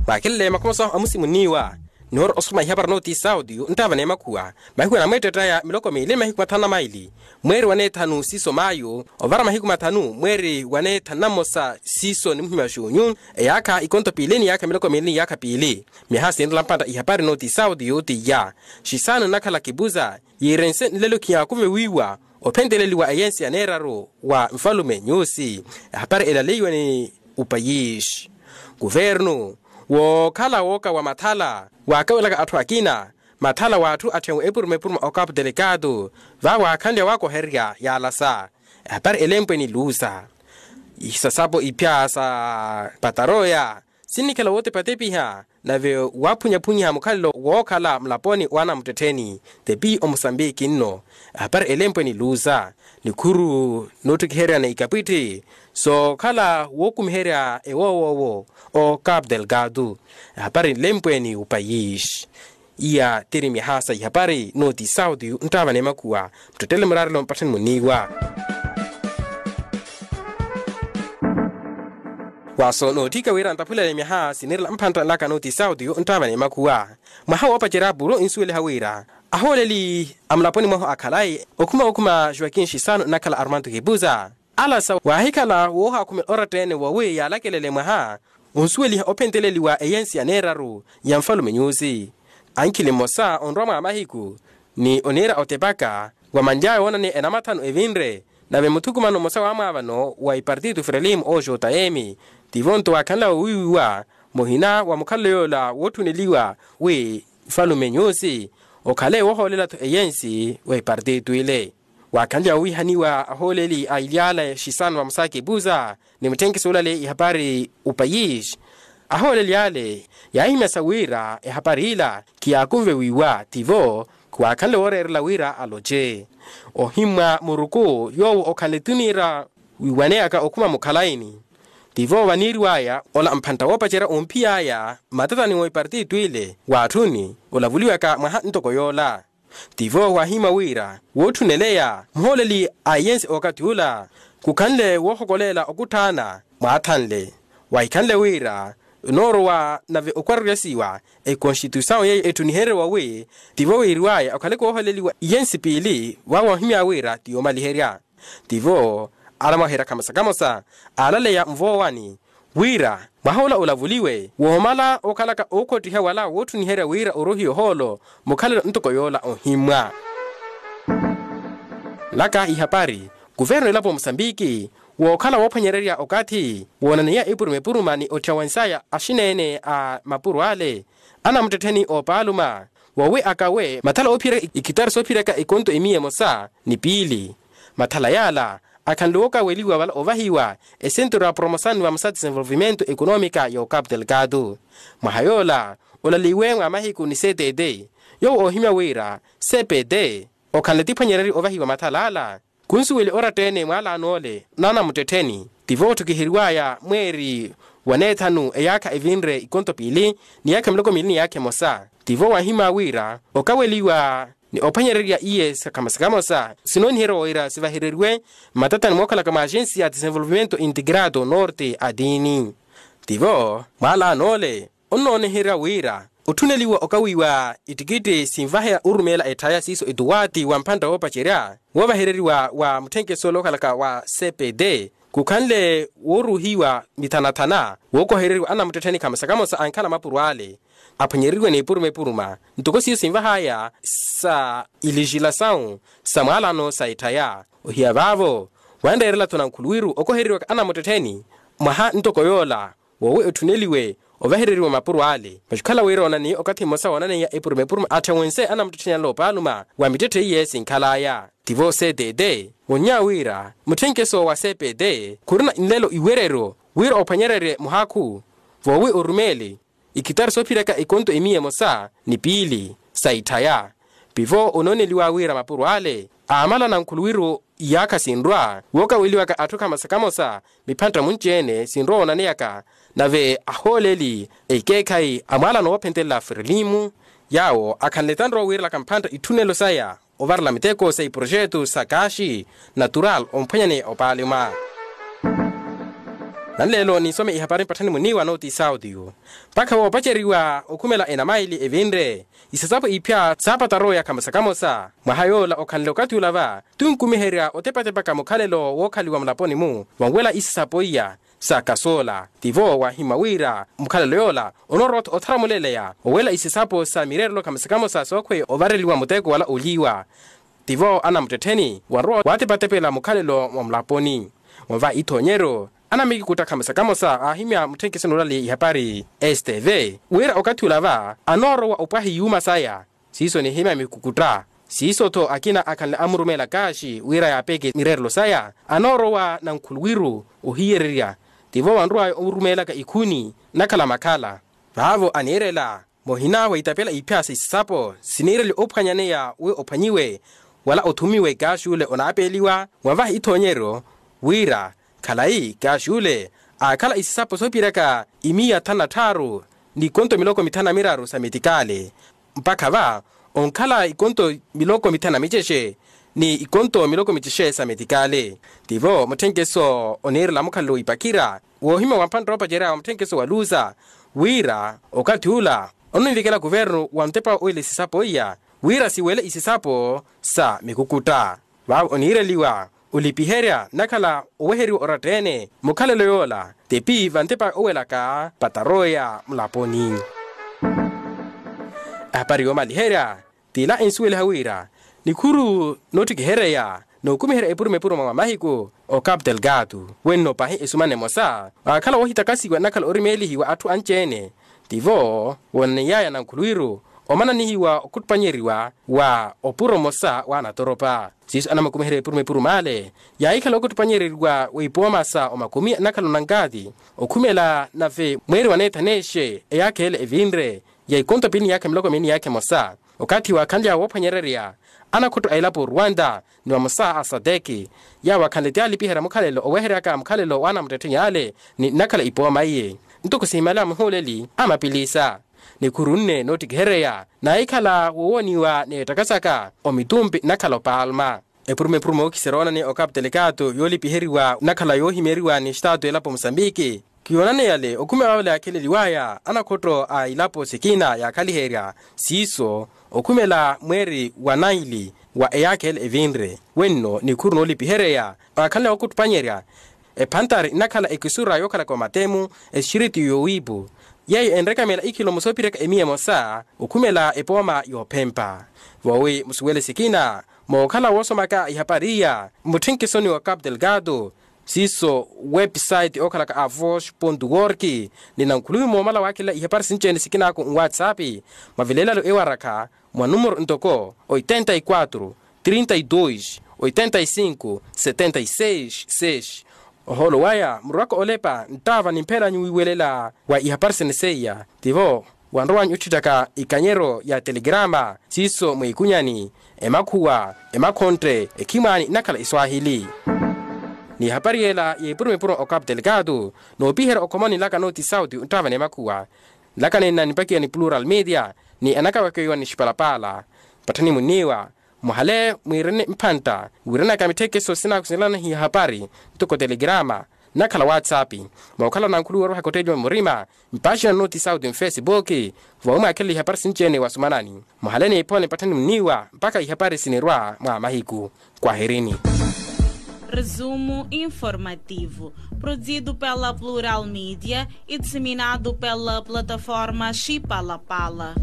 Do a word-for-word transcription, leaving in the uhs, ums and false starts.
Mwaakhelele makhomoso amusimunniwa. Nihoora osukuma ihapari nooti sautiyu nttaava n'emakhuwa. Mahiku anamweettettaya miloko miili ni mahiku mathanu na maili, mweeri wa neethanu siiso maayu ovara mahiku mathanu mweeri wa neethanu na mmosa siiso ni muhimya wa xuunyu, eyaakha ikonto piili ni yaakha miloko miili ni yaakha piili. Myaha sinrela mpantta ihapari nooti sautiyu t'iya. Xisaanu nnakhala kipuza yiirense nlelo khiyaakuve wiiwa ophenteleliwa eyensi ya neeraru wa nfalume nyusi. Ehapari elaleiwe ni upayisi. Kuvernu wookhala wooka wa mathala waakawelaka atthu akina mathala w'atthu atthenwe epuruma epuruma okapu telekatu. Vaawaakhanlya waakohererya yaalasa ehapari elempwe ni lusa. Isasapo iphya sa pataroya sinnikhala wootepatepiha nave waaphunyaphunyiha mukhalelo wookhala mulaponi w'anamuttettheni. Tepi omusambiki nno ehapari elempwe ni lusa nikhuru noottikihereryana ikapwitthi sookhala wookumiherya ewoowoowo o capu delgado. Ehapari nlempwe ni upayisi. Iya tiri myaha sa ihapari nooti sautiyu nttaava n'emakhuwa. Muttettele muraarelo mpattheni munniiwa. Waaso nootthika wira nttaphulele myaha sinirela mphantta nlaka nooti sautiyu nttaava n'emakhuwa. Mwaha woopacerya apuro nsuweliha wira ahooleli a mulaponi mwahu akhalayi okhuma okhuma joaquin xisaanu nnakhala armando kipuza. Alasa waahikhala woohaakhumela oratta-ene wowi yaalakelele mwaha onsuweliha ophenteleliwa eyensi ya neeraru ya nfalume nyusi. Ankhili mmosa onrwa mwa mahiku ni oniira otepaka wa manly'aya woonaneya enamathanu evinre nave muthukumano mmosa w'amwaavano wa ipartito frelimo o jotayemi. Tivo nto waakhanlaya owiiwiwa muhina wa mukhalelo yoola wootthuneliwa wi nfalume nyusi okhale woohoolelatthu eyensi wa ipartito ile. Waakhanlya owiihaniwa ahooleli a ilyaala exisano vamusaka epusa ni mutthenkiso olale ihapari upayisi. Ahooleli ale yaahimyasa wira ehapari ila khiyaakunve wiiwa tivo khuwaakhanle wooreerela wira aloce. Ohimmwa muruku yoowo okhanle tuniira wiiwaneyaka okhuma mukhalayini. Tivo vaniiriwaya ola mphantta woopacerya omphiy'aya mmatatani wa ipartito ile w'atthuni olavuliwaka mwaha ntoko yoola. Tivo waahimya wira wootthunneleya muhooleli a eyensi okathi ula khukhanle woohokoleela okutthaana mwaathanle. Wahikhanle wira enoorowa nave okwaruryasiwa ekonstituisawu yeeyo etthuniherye wawi tivo wiiriwaya okhaleke woohooleliwa iyensi piili vaawo wahimya wira ti yoomaliherya. Tivo alamwaherya khamosa khamosa aalaleya nvoowani wira mwaha ola olavuliwe woomala okhalaka ookhottiha wala wootthuniherya wira orohiwe ohoolo mukhalelo ntoko yoola ohimmwa. Nlaka ihapari kuvernu elapo musambiki wookhala woophwanyererya okathi woonaneya epuruma epuruma ni otthiya wensaya axineene a mapuro ale anamuttettheni oopaaluma wowi akawe mathala oophiyerya ikitari soophiyerya ekonto emiya emosa ni piili. Mathala yaala akhanle wookaweliwa vala ovahiwa esenturu ya promosaani vamosa desenvolvimento ekonomika ya ocapu delgado. Mwaha yoola olaleiwe mwa mahiku ni ctt yoowo oohimya wira cpt okhanle tiphwanyererye ovahiwa mathala ala. Khunsuweli oratta-ene mwaalaano ole n'anamuttettheni tivo otthukiheriwaya mweeri wa neethanu eyaakha evinre ikonto piili ni yaakha miloko miili ni yaakha emosa. Tivo waahimya wira okaweliwa ni ophwanyererya iye sikhamosa khamosa sinooniheriwa wira sivahereriwe mmatatani mookhalaka mwa agensi ya desenvolvimento integrado norte a tiini. Tivo mwaalaano ole onnooniherya wira otthuneliwa okawiiwa ittikitti sinvaheya orumeela etthaya siiso etuwaati wa mphantta woopacerya woovahereriwa wa mutthenkeso ole okhalaka wa cpt khukhanle wooruuhiwa mithanathana wookohereriwa anamuttettheni khamosa khamosa ankhala mapuro ale aphwanyereriwe n'epuruma epuruma ntoko siiso sinvahaya sa ilixilasawu sa mwaalaano sa etthaya. Ohiya vaavo wanreerela-tho nankhuluwiru okohereriwaka anamuttettheni mwaha ntoko yoola wowi otthuneliwe ovahereriwa mapuro ale masi okhala wira oonaniye okathi mmosa woonaneya epuruma epuruma atthe wense anamuttettheni ale oopaaluma wa mittetthe iye sinkhalaya. Tivo ctt wonnya wira mutthenkeso wa cpt khurina nlelo iwereryo wira ophwanyererye muhakhu vowi orumeeli ikitari soophiraka ekonto emiya emosa ni piili sa itthaya. Pivo onooneliwa wira mapuro ale aamala nankhuluwiru iyaakha sinrwa wookaweliwaka atthu khamosa khamosa miphantta munci-ene sinrwa woonaneyaka nave ahooleli ekeekhayi a mwaalano woophentelela frelimu yaawo akhanle tanrowa wiirelaka mphantta itthunelo saya ovarela miteko sa iprojetu sa kaxi natural omphwanyaneya opaalima. Nanleelo ninsome ihapari mpatthani muniiwa nooti sauti yu mpakha woopaceriwa okhumela enamaili evinre isasapo iphya saapataroya khamosa khamosa. Mwaha yoola okhanle okathi ula va tunkumiherya otepatepaka mukhalelo wookhaliwa mulaponi-mu vonwela isasapo iya sa kasoola. Tivo wahimya wira mukhalelo yoola onoorowa-tho othara muleleya owela isasapo sa mireerelo khamosa khamosa sookhweya ovareliwa muteko wala oliiwa. Tivo anamuttettheni wanrowa waatepatepela mukhalelo mwa mulaponi. Mwava ithoonyeryo anamikikutta khamosa khamosa aahimya mutthenkeso noolaleya ihapari stv wira okathi ula va anoorowa opwaha iyuuma saya. Siiso nihimya mikukutta siiso-tho akina akhanle amurumeela kaaxi wira yaapeeke mireerelo saya anoorowa nankhuluwiru ohiyererya. Tivo wanrowaya orumeelaka ikhuni nakhala makhala vaavo aniirela muhina witapela iphya sa isasapo siniireliwa ophwanyaneya wi ophwanyiwe wala othumiwe kaaxi ule onaapeeliwa wavaha ithoonyeryo wira khalayi kaaxi ule aakhala isasapo soopiryaka imiya thanu na tthaaru ni ikonto miloko mithanu na miraru sa metikale mpakha va onkhala ikonto miloko mithanu na micexe ni ikonto miloko micexe sa metikale. Tivo mutthenkeso oniirela mukhalelo w'ipakhira woohimya wa mphantta oopacerya wa mutthenkeso wa luza wira okathi ula ononvikela kuvernu wa ntepa owela isisapo iya wira siwele isisapo sa mikukutta. Vaavo oniireliwa olipiherya nakhala oweheriwa oratta-ene mukhalelo yoola tepi va ntepa owelaka pataroya mulaponi. Ahapari yoomaliherya t'ila ensuweliha wira nikhuru noottikihereya nookumiherya epuruma epuruma mwa mahiku o capital gato wenno pahi esumana emosa waakhala woohitakasiwa nnakhala orimeelihiwa atthu anci-ene. Tivo woonaniyaya nankhuluwiru omananihiwa okhuttupanyeriwa wa opuro mmosa w'anatoropa siiso anamukumiherya epuruma epuruma ale yaahikhala okhuttupanyereriwa w'ipooma sa omakumi nnakhala onankaati okhumela nave mweeri waneetha neexe eyaakha ele evinre ya ikonto pili ni yaakha miloko mili ni yaakha emosa. Okathi waakhanly'awe woophwanyererya anakhutto a elapo oruwanta ni vamosa a sadeki yaawo akhanle ti alipiherya mukhalelo oweheryaka mukhalelo w'anamuttettheni ale ni nnakhala ipooma iye ntoko sihimaliwa muhuuleli a mapilisa. Nikhuru nne noottikihereya naahikhala wowooniwa n'ettakasaka omitumpi nnakhala opalma. Epuruma epuruma ookiserya oonaniya o capital gato yoolipiheriwa nnakhala yoohimyeriwa ni estaatu elapo musambiki. Kiyoonaneyale okhumela waawela yaakheleliwaya anakhotto a ilapo sikina yaakhaliherya siiso okhumela mweeri wa naili wa eyaakha ele evinre wenno nikhuru noolipihereya waakhanle wookuttupanyerya ephantari nnakhala ekisura yookhalaka omatemu esixiriti yoowiipu yeeyo enrekamela ikhilomo soopiryaka emiya emosa okhumela epooma yoophempa. Voowi musuwele sikina mookhala woosomaka ihapari iya mutthenkesoni wa capital gato siiso website ookhalaka avos org ni nankhuluwi moomala waakhelela ihapari sinci-ene sikinaaku nwatsapi mwa vilelalo ewarakha mwa numero ntoko oitenta y quatro trinta y dos oitenta y cinco setenta y seis seis. Ohoolo waya murwaka olepa nttaava ni mphelanyu wiiwelela wa ihapari sene seiya tivo wanrowanyu otthittaka ikanyeryo ya telegrama siiso mwiikunyani emakhuwa emakhontte ekhimwaani nnakhala eswahili. Ni ihapari yela y'epuruma epuruma o capital gato noopiherya okhomoni nlaka nooti sauti nttaava n'emakhuwa nlaka nenna nipakiwa ni plural media ni anakawekeiwa ni xipalapaala. Patthani munniiwa muhale mwiirene mphantta wiiranaka mitthekeso sinaaku sinlanahiya hapari ntoko telegrama nnakhala whatsapp mookhala nankhuluwi orwahaka otteeliwa murima mpaxina nooti sauti mfesibuki voowi mwaakhelela ihapari sinci-ene wasumanani muhale niiphone patthani munniiwa mpakha ihapari sinirwa mwa mahiku. Kwahirini. Resumo informativo, produzido pela Plural Media e disseminado pela plataforma Xipalapala.